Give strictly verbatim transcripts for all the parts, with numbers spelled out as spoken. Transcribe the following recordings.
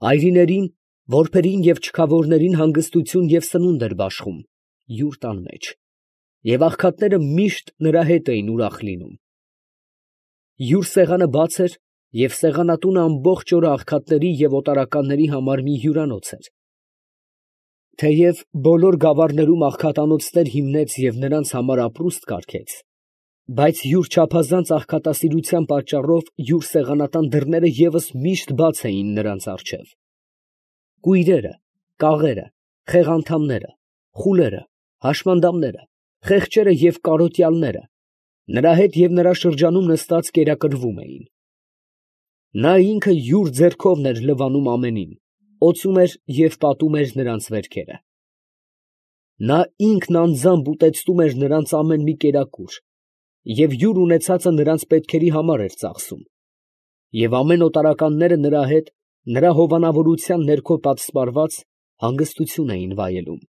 Այրիներին, որբերին և չքավորներին հանգստություն և սնունդ էր բաշխում յուր տան մեջ, և աղքատները միշտ նրա հետ էին ուրախ լինում։ Յուր սեղանը բաց էր, և սեղանատունը ամբողջ օրը աղքատների և օտարականների համար մի հյուրանոց էր. թեև բոլոր գավառներում աղքատանոցներ հիմնեց և նրանց համար ապրուստ կարգեց, բայց յուր չափազանց աղքատասիրության պատճառով յուր սեղանատան դռները ևս միշտ բաց էին նրանց առջև։ Կույրերը, կաղերը, խեղանդամները, խուլերը, հաշմանդամները, խեղճերը և կարոտյալները նրա հետ և նրա շրջանում նստած կերակրվում էին։ Նա ինքը յուր ձեռքովն էր լվանում ամենին, օծում էր և պատում էր նրանց վերքերը։ Նա ինքն անձամբ ուտեցնում էր նրանց ամեն մի կերակուր և յուր ունեցածը նրանց պետքերի համար էր ծախսում, և ամեն օտարականները նրա հետ, նրա հովանավորության ներքո պատսպարված, հանգստություն էին վայելում։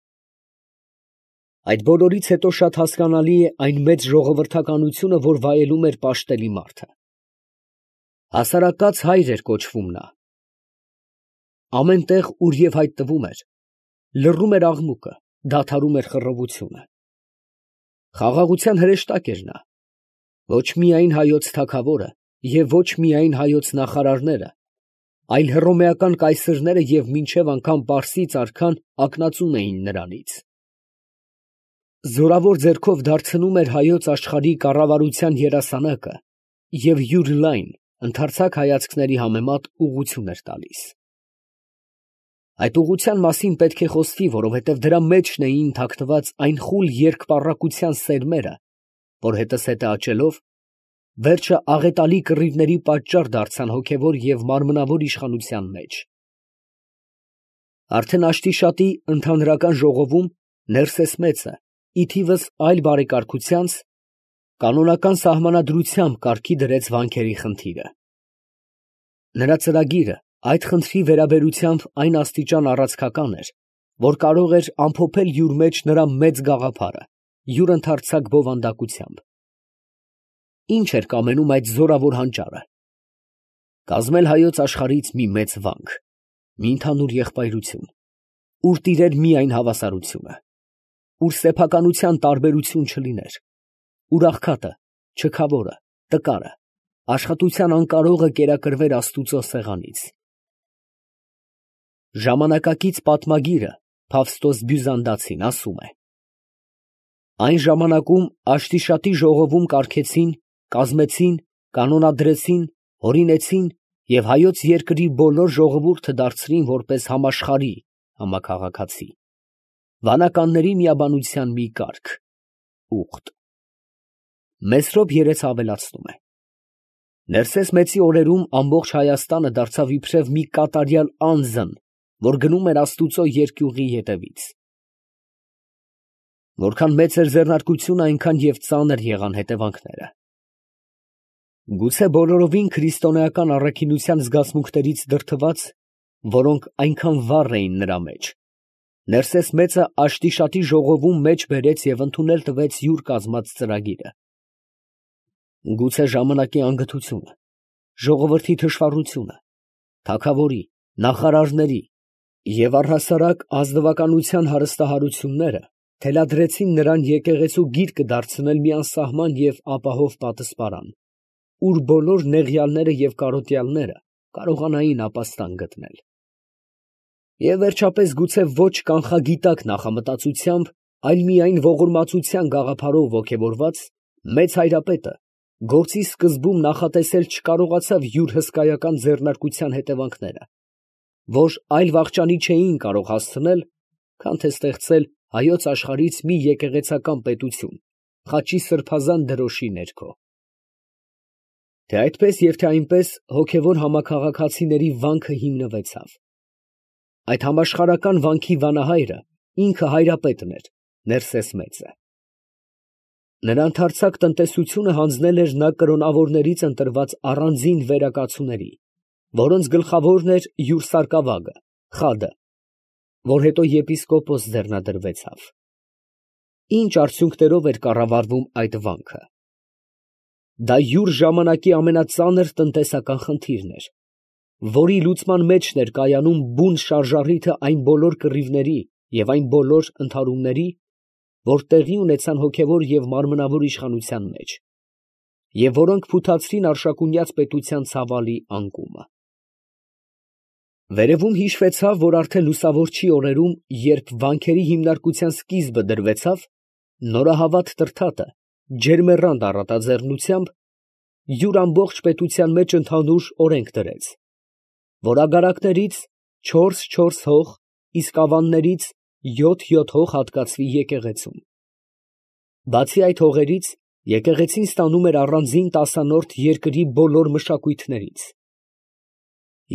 Այդ բոլորից հետո շատ հասկանալի է այն մեծ ժողովրդականությունը, որ վայելում էր պաշտելի մարդը։ Հասարակած հայր էր կոչվում նա։ Ամեն տեղ, ուր և հայտնվում էր, լռում էր աղմուկը, դադարում էր խռովությունը։ Խաղաղության հրեշտակ էր նա, ոչ միայն հայոց թագավորը և ոչ միայն հայոց նախարարները, այլ հռոմեական կայսրները և մինչև անգամ պարսից արքան ակնածուն էին նրանից։ Զորավոր ձեռքով դարձնում էր հայոց աշխարհի կառավարության երասանակը և յուր լայն, ընդարձակ հայացքների համեմատ ուղղություն էր տալիս։ Այդ ուղղության մասին պետք է խոսվի, որովհետև դրա մեջն էին թաքնված այն խուլ երկպառակտության սերմերը, որ հետզհետե աճելով, վերջը աղետալի կռիվների պատճառ դարձան հոգևոր և մարմնավոր իշխանության մեջ։ Արդեն Աշտիշատի ընդհանրական ժողովում Ներսես մեծը, ի թիվս այլ բարեկարգությանց, կանոնական սահմանադրությամբ կարգի դրեց վանքերի խնդիրը։ Նրա ծրագիրը այդ խնդրի վերաբերությամբ այն աստիճան առացքական էր, որ կարող էր ամփոփել յուր մեջ նրա մեծ գաղափարը, յուր ընդարձակ բովանդակությամբ։ Ի՞նչ էր կամենում այդ զորավոր հանճարը։ Կազմել հայոց աշխարհից մի մեծ վանք, մի ընդհանուր եղբայրություն, ուր տիրեր միայն հավասարությունը, ուր սեփականության տարբերություն չլիներ, ուր աղքատը, չքավորը, տկարը, աշխատության անկարողը կերակրվեր աստուծո սեղանից։ Ժամանակակից պատմագիրը Ֆավստոս Բյուզանդացին ասում է. այն ժամանակում Աշտիշատի ժողովում կարգեցին, կազմեցին, կանոնադրեցին, հորինեցին և հայոց երկրի բոլոր ժողովուրդը դարձրին որպես համաշխարհի (համաքաղաքացի) վանականների միաբանության մի կարգ (ուխտ)։ Մեսրոպ երեցը ավելացնում է. Ներսես մեծի օրերում ամբողջ Հայաստանը դարձավ իբրև մի կատարյալ անձն, որ գնում էր աստուծո երկյուղի ետևից։ Որքան մեծ էր ձեռնարկությունը, այնքան և ծանր եղան հետևանքները։ Գուցե բոլորովին քրիստոնեական առաքինության զգացմունքներից դրդված, որոնք այնքան վառ էին նրա մեջ, Ներսես մեծը Աշտիշատի ժողովում մեջ բերեց և ընդունել տվեց յուր կազմած ծրագիրը։ Գուցե ժամանակի անգթությունը, ժողովրդի թշվառությունը, թագավորի, նախարարների և առհասարակ ազնվականության հարստահարությունները թելադրեցին նրան եկեղեցու գիրկը դարձնել մի անսահման և ապահով պատսպարան, ուր բոլոր նեղյալները և կարոտյալները կարողանային ապաստան գտնել։ Եվ վերջապես գուցե ոչ կանխագիտակ նախամտածությամբ, այլ միայն ողորմածության գաղափարով ոգևորված, մեծ հայրապետը գործի սկզբում նախատեսել չկարողացավ յուր հսկայական ձեռնարկության հետևանքները, որ այլ վախճանի չէին կարող հասցնել, քան թե ստեղծել հայոց աշխարհից մի եկեղեցական պետություն խաչի սրբազան դրոշի ներքո։ Թե այդպես և թե այնպես հոգևոր համաքաղաքացիների վանքը հիմնվեցավ։ Այդ համաշխարհական վանքի վանահայրը ինքը հայրապետն էր, Ներսես մեծը։ Նրա ընդարձակ տնտեսությունը հանձնել էր նա կրոնավորներից ընտրված առանձին վերակացուների, որոնց գլխավորն էր յուր սարկավագը՝ Խադը, որ հետո եպիսկոպոս ձեռնադրվեցավ։ Ի՞նչ արդյունքներով էր կառավարվում այդ վանքը։ Դա յուր ժամանակի ամենածանր տնտեսական խնդիրն էր։ որի լուծման մեջն էր կայանում բուն շարժառիթը այն բոլոր կռիվների և այն բոլոր ընդհարումների, որ տեղի ունեցան հոգևոր և մարմնավոր իշխանության մեջ, և որոնք փութացրին արշակունյաց պետության ցավալի անկումը։ Վերևում հիշվեցավ, որ արդեն լուսավորչի օրերում, երբ վանքերի հիմնարկության սկիզբը դրվեցավ, նորահավատ Տրդատը ջերմեռանդ առատաձեռնությամբ յուր ամբողջ պետության մեջ ընդհանուր օրենք դրեց, որ ագարակներից չորս֊չորս հող, իսկ ավաններից յոթ֊յոթ հող հատկացվի եկեղեցուն։ Բացի այդ հողերից, եկեղեցին ստանում էր առանձին տասանորդ երկրի բոլոր մշակույթներից։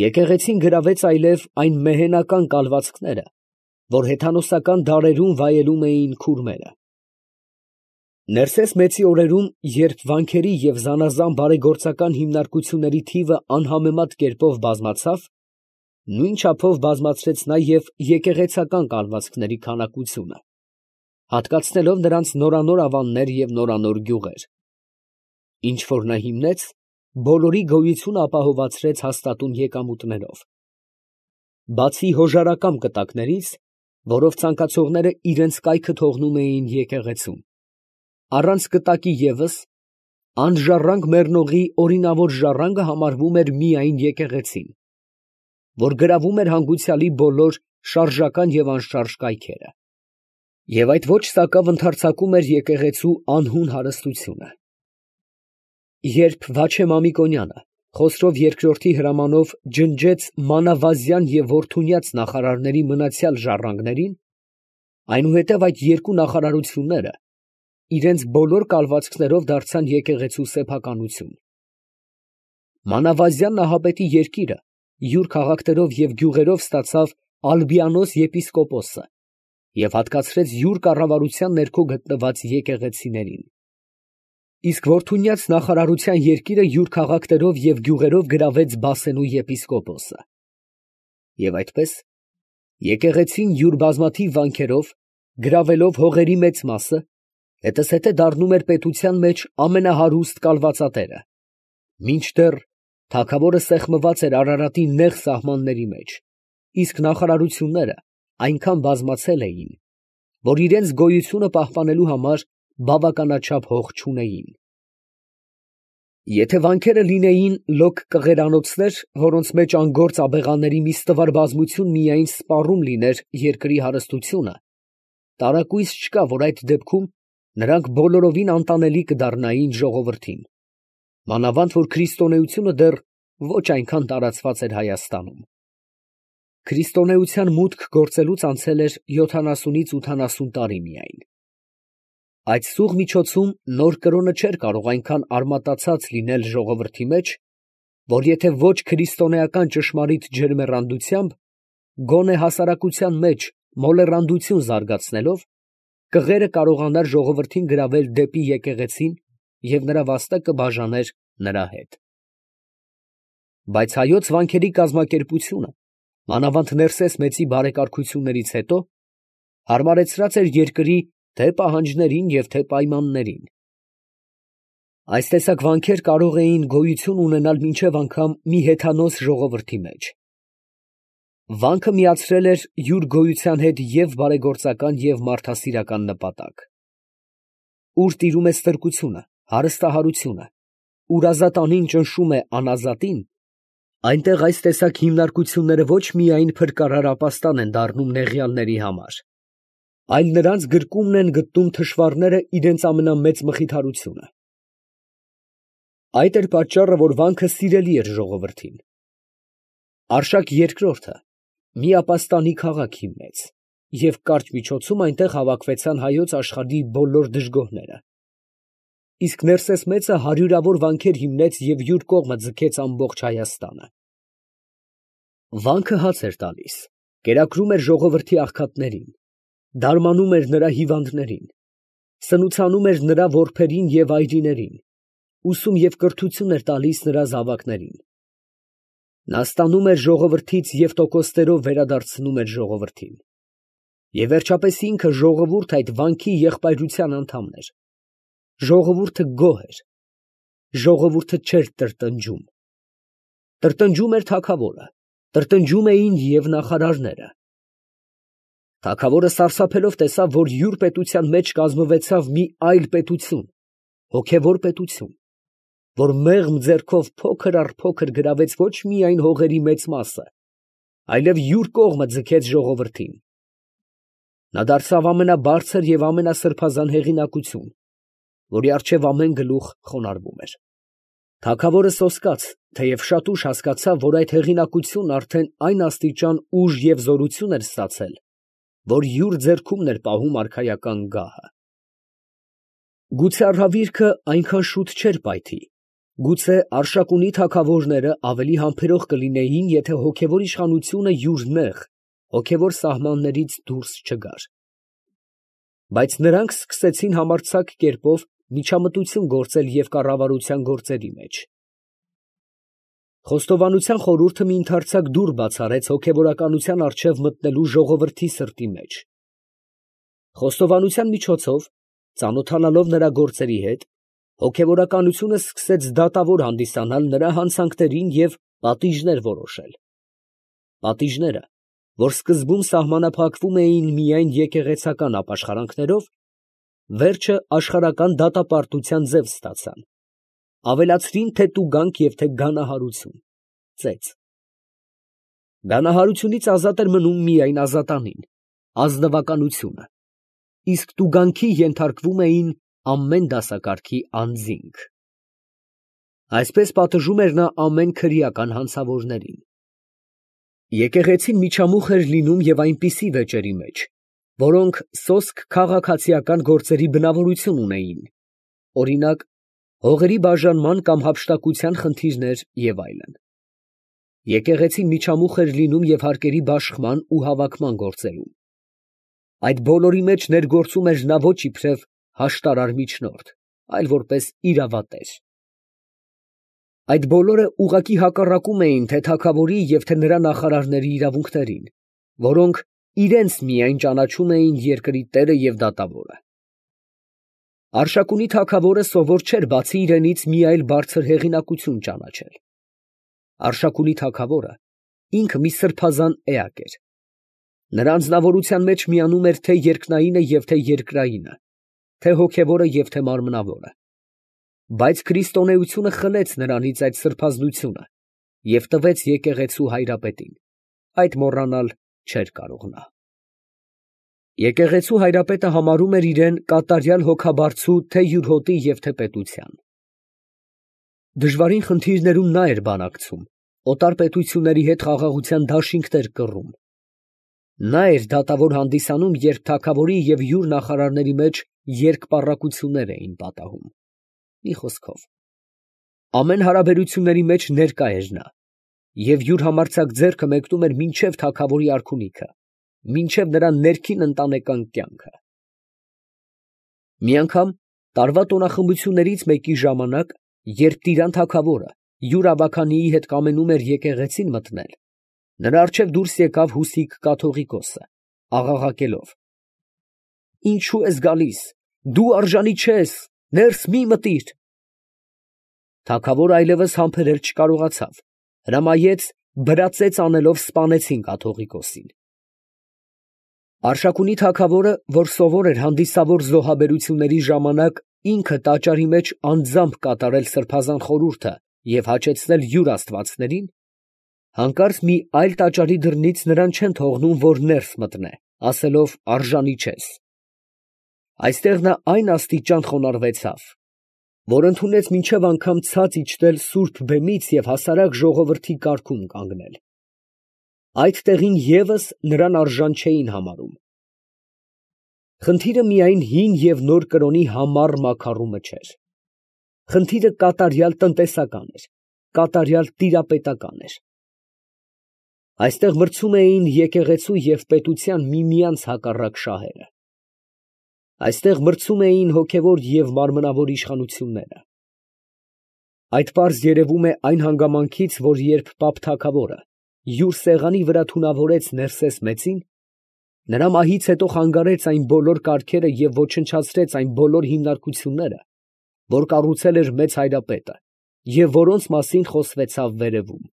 Եկեղեցին գրավեց այլև այն մեհենական կալվածքները, որ հեթանոսական դարերում վայելում էին քուրմերը։ Ներսես մեծի օրերում, երբ վանքերի և զանազան բարեգործական հիմնարկությունների թիվը անհամեմատ կերպով բազմացավ, նույն չափով բազմացրեց նա և եկեղեցական կալվածքների քանակությունը, հատկացնելով նրանց նորանոր ավաններ և նորանոր գյուղեր։ Ինչ որ նա հիմնեց, բոլորի գոյությունը ապահովացրեց հաստատուն եկամուտներով։ Բացի հոժարակամ կտակներից, որով ցանկացողները իրենց կայքը թողնում էին եկեղեցում, առանց կտակի ևս, անժառանգ մեռնողի օրինավոր ժառանգը համարվում էր միայն եկեղեցին, որ գրավում էր հանգուցյալի բոլոր շարժական և անշարժ կայքերը, և այդ ոչ սակավ ընդարձակում էր եկեղեցու անհուն հարստությունը։ Երբ Վաչե Մամիկոնյանը Խոսրով երկրորդի հրամանով ջնջեց մանավազյան և որդունյաց նախարարների մնացյալ ժառանգներին, այնուհետև այդ երկու նախարարությունները իրենց բոլոր կալվածքներով դարձան եկեղեցու սեփականություն։ Մանավազյան նահապետի երկիրը յուր քաղաքներով և գյուղերով ստացավ Ալբիանոս եպիսկոպոսը և հատկացրեց յուր կառավարության ներքո գտնված եկեղեցիներին, իսկ որդունյաց նախարարության երկիրը յուր քաղաքներով և գյուղերով գրավեց Բասենու եպիսկոպոսը։ Եվ այդպես, եկեղեցին յուր բազմաթիվ վանքերով, գրավելով հողերի մեծ մասը, հետզհետե դառնում էր պետության մեջ ամենահարուստ կալվածատերը, մինչդեռ թագավորը սեղմված էր Արարատի նեղ սահմանների մեջ, իսկ նախարարությունները այնքան բազմացել էին, որ իրանց գոյությունը պահպանելու համար բավականաչափ հող չունեին։ Եթե վանքերը լինեին լոկ կղերանոցներ, որոնց մեջ անգործ աբեղաների մի ստվար բազմություն միայն սպառում լիներ երկրի հարստությունը, տարակույս չկա, որ այդ դեպքում նրանք բոլորովին անտանելի կդառնային ժողովրդին, մանավանդ որ քրիստոնեությունը դեռ ոչ այնքան տարածված էր Հայաստանում։ Քրիստոնեության մուտք գործելուց անցել էր յոթանասունից ութանասուն տարի միայն։ Այդ սուղ միջոցում նոր կրոնը չէր կարող այնքան արմատացած լինել ժողովրդի մեջ, որ եթե ոչ քրիստոնեական ճշմարիտ ջերմեռանդությամբ, գոնե հասարակության մեջ մոլեռանդություն զարգացնելով, կղերը կարողանար ժողովրդին գրավել դեպի եկեղեցին և նրա վաստակը բաժաներ նրա հետ։ Բայց հայոց վանքերի կազմակերպությունը, մանավանդ Ներսես մեծի բարեկարգություններից հետո, հարմարեցրած էր երկրի թե՛ պահանջներին և թե՛ պայմաններին։ Այս տեսակ վանքեր կարող էին գոյություն ունենալ մինչև անգամ մի հեթանոս ժողովրդի մեջ։ Վանքը միացրել էր յուր գոյության հետ և՛ բարեգործական և մարդասիրական նպատակ։ Ուր տիրում է ստրկությունը, հարստահարությունը, ուր ազատանին ճնշում է անազատին, այնտեղ այս տեսակ հիմնարկությունները ոչ միայն փրկարար ապաստան են դառնում նեղյալների համար, այլ նրանց գրկումն են գտնում թշվառները իրենց ամենամեծ մխիթարությունը։ Այդ էր պատճառը, որ վանքը սիրելի էր ժողովրդին։ Արշակ երկրորդը մի ապաստանի քաղաք հիմնեց, և կարճ միջոցում այնտեղ հավաքվեցան հայոց աշխարհի բոլոր դժգոհները, իսկ Ներսես մեծը հարյուրավոր վանքեր հիմնեց և յուր կողմը ձգեց ամբողջ Հայաստանը։ Վանքը հաց էր տալիս, կերակրում էր ժողովրդի աղքատներին, դարմանում էր նրա հիվանդներին, սնուցանում էր նրա որբերին և այրիներին, ուսում և կրթություն էր տալիս նրա զավակներին։ Նա ստանում էր ժողովրդից և տոկոսներով վերադարձնում էր ժողովրդին։ Եվ վերջապես ինքը ժողովուրդ այդ վանքի եղբայրության անդամն էր։ Ժողովուրդը գոհ էր, ժողովուրդը չէր տրտնջում։ Տրտնջում էր թագավորը, տրտնջում էին և նախարարները։ Թագավորը սարսափելով տեսավ, որ յուր պետության մեջ կազմվեցավ մի այլ պետություն, հոգևոր պետություն, որ մեղմ ձեռքով փոքր առ փոքր գրավեց ոչ միայն հողերի մեծ մասը, այլև յուր կողմը ձգեց ժողովրդին։ Նա դարձավ ամենաբարձր և ամենասրբազան հեղինակություն, որի առջև ամեն գլուխ խոնարհվում էր։ Թագավորը սոսկաց, թեև շատ ուշ հասկացավ, որ այդ հեղինակությունն արդեն այն աստիճան ուժ և զորություն էր ստացել, որ յուր ձեռքումն էր պահում արքայական գահը։ Գուցե առհավիրքը այնքան շուտ չէր պայթի, գուցե Արշակունի թագավորները ավելի համբերող կլինեին, եթե հոգևոր իշխանությունը յուր նեղ, հոգևոր սահմաններից դուրս չգար։ Բայց նրանք սկսեցին համարձակ կերպով միջամտություն գործել և կառավարության գործերի մեջ։ Խոստովանության խորհուրդը մի ընդարձակ դուռ բացառեց հոգևորականության առջև մտնելու ժողովրդի սրտի մեջ։ Խոստովանության միջոցով, ծանոթանալով նրա գործերի հետ, հոգևորականությունը սկսեց դատավոր հանդիսանալ նրա հանցանքներին և պատիժներ որոշել։ Պատիժները, որ սկզբում սահմանափակվում էին միայն եկեղեցական ապաշխարանքներով, վերջը աշխարհական դատապարտության ձև ստացան, ավելացրին թե տուգանք և թե գանահարություն, ծեծ։ Գանահարությունից ազատ էր մնում միայն ազատանին, ազնվականությունը, իսկ տուգանքի ենթարկվում էին ամեն դասակարգի անձինք։ Այսպես պատժում էր նա ամեն քրեական հանցավորներին։ Եկեղեցին միջամուխ էր լինում և այնպիսի վեճերի մեջ, որոնք սոսկ քաղաքացիական գործերի բնավորություն ունեին, օրինակ, հողերի բաժանման կամ հափշտակության խնդիրներ և այլն։ Եկեղեցին միջամուխ էր լինում և հարկերի բաշխման ու հավաքման գործերում։ Այդ բոլորի մեջ ներգործում էր նա ոչ իբրև հաշտարար միջնորդ, այլ որպես իրավատեր։ Այդ բոլորը ուղղակի հակառակում էին թե թագավորի և թե նրա նախարարների իրավունքներին, որոնք իրենց միայն ճանաչում էին երկրի տերը և դատավորը։ Արշակունի թագավորը սովոր չէր բացի իրենից մի այլ բարձր հեղինակություն ճանաչել։ Արշակունի թագավորը ինքը մի սրբազան էակ էր։ Նրա անձնավորության մեջ միանում էր թե երկնայինը և թե երկրայինը, թե հոգևորը և թե մարմնավորը։ Բայց քրիստոնեությունը խլեց նրանից այդ սրբազնությունը և տվեց եկեղեցու հայրապետին, այդ մոռանալ չէր կարող նա։ Եկեղեցու հայրապետը համարում էր իրան կատարյալ հոգաբարձու թե՛ յուրհոտի և թե՛ պետության։ Դժվարին խնդիրներում նա էր բանակցում, օտար պետությունների հետ խաղաղության դաշինքներ կռում։ Նա էր դատավոր հանդիսանում, երբ թագավորի և յուր նախարարների մեջ երկպառակություններ էին պատահում։ Մի խոսքով, ամեն հարաբերությունների մեջ ներկա էր նա, և յուր համարձակ ձեռքը մեկնում էր մինչև թագավորի արքունիքը, մինչև նրա ներքին ընտանեկան կյանքը։ Մի անգամ տարվա տոնախմբություններից մեկի ժամանակ, երբ Տիրան թագավորը յուր ավագանիի հետ կամենում էր եկեղեցին մտնել, նրա առջև դուրս եկավ Հուսիկ կաթողիկոսը, աղաղակելով. «Ինչո՞ւ ես գալիս, դու արժանի չես, ներս մի մտիր»։ Թագավորը այլևս համբերել չկարողացավ, հրամայեց բրածեծ անելով սպանեցին կաթողիկոսին։ Արշակունի թագավորը, որ սովոր էր հանդիսավոր զոհաբերությունների ժամանակ ինքը տաճարի մեջ անձամբ կատարել սրբազան խորհուրդը և հաճեցնել յուր աստվածներին, հանկարծ մի այլ տաճարի դռնից նրան չեն թողնում, որ ներս մտնե, ասելով արժանի չես։ Այստեղ նա այն աստիճան խոնարհվեցավ, որ ընդունեց մինչև անգամ ցած իջնել սուրբ բեմից և հասարակ ժողովրդի կարգում կանգնել։ Այդ տեղին ևս նրան արժան չէին համարում։ Խնդիրը միայն հին և նոր կրոնի համառ մաքարումը չէր։ Խնդիրը կատարյալ տնտեսական էր, կատարյալ տիրապետական էր։ Այստեղ մրցում էին եկեղեցու և պետության միմյանց հակառակ շահերը։ Այստեղ մրցում էին հոգևոր և մարմնավոր իշխանությունները։ Այդ պարզ երևում է այն հանգամանքից, որ երբ պապ թագավորը յուր սեղանի վրա թունավորեց Ներսես մեծին, նրա մահից հետո խանգարեց այն բոլոր կարգերը և ոչնչացրեց այն բոլոր հիմնարկությունները, որ կառուցել էր մեծ հայրապետը և որոնց մասին խոսվեցավ վերևում։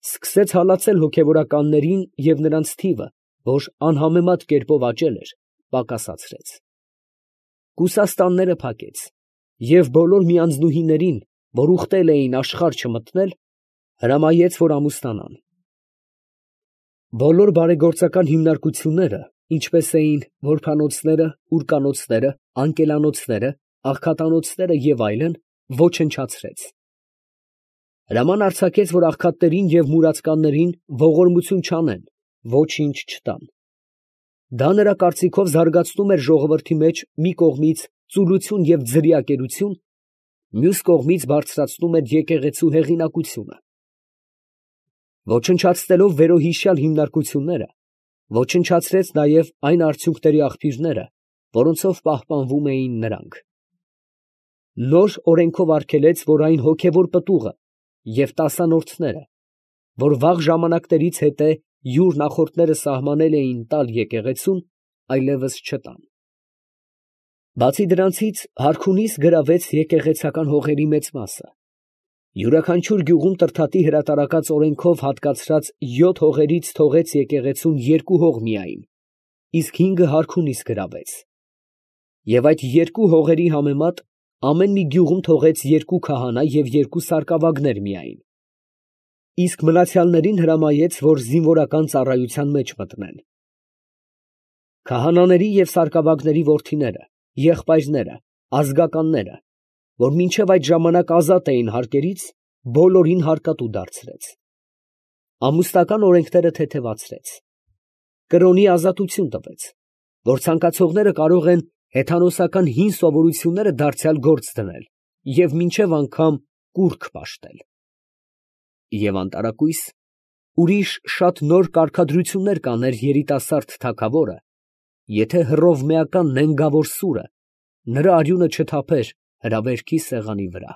սկսեց հալածել հոգևորականներին և նրանց թիվը, որ անհամեմատ կերպով աճել էր, պակասացրեց. կուսաստանները փակեց և բոլոր միանձնուհիներին, որ ուխտել էին աշխարհ չմտնել, հրամայեց, որ ամուսնանան. բոլոր բարեգործական հիմնարկությունները, ինչպես էին որբանոցները, ուրկանոցները, անկելանոցները, աղքատանոցները և այլն, ոչնչացրեց. հրաման արձակեց, որ աղքատներին և մուրացկաններին ողորմություն չանեն, ոչինչ չտան. դա նրա կարծիքով զարգացնում էր ժողովրդի մեջ մի կողմից ծուլություն և ձրիակերություն, մյուս կողմից բարձրացնում էր եկեղեցու հեղինակությունը. ոչնչացնելով վերոհիշյալ հիմնարկությունները, ոչնչացրեց նաև այն արդյունքների աղբյուրները, որոնցով պահպանվում էին նրանք. նոր օրենքով արգելեց, որ այն հոգևոր պտուղը և տասանորդները, որ վաղ ժամանակներից հետո յուր նախորդները սահմանել էին տալ եկեղեցուն, այլևս չտան. բացի դրանցից հարքունիս գրավեց եկեղեցական հողերի մեծ մասը. յուրաքանչյուր գյուղում Տրդատի հրատարակած օրենքով հատկացրած յոթ հողերից թողեց եկեղեցուն երկու հող միայն, իսկ հինգը հարքունիս գրավեց. և այդ երկու հողերի համեմատ ամեն մի գյուղում թողեց երկու քահանա և երկու սարկավագներ միայն, իսկ մնացյալներին հրամայեց, որ զինվորական ծառայության մեջ մտնեն. քահանաների և սարկավագների որդիները, եղբայրները, ազգականները, որ մինչև այդ ժամանակ ազատ էին հարկերից, բոլորին հարկատու դարձրեց. ամուսնական օրենքները թեթևացրեց. կրոնի ազատություն տվեց, որ ցանկացողները կարող են հեթանոսական հին սովորությունները դարձյալ գործ դնել և մինչև անգամ կուռք պաշտել. և անտարակույս ուրիշ շատ նոր կարգադրություններ կաներ երիտասարդ թագավորը, եթե հռովմեական նենգավոր սուրը նրա արյունը չթափեր հրավերքի սեղանի վրա։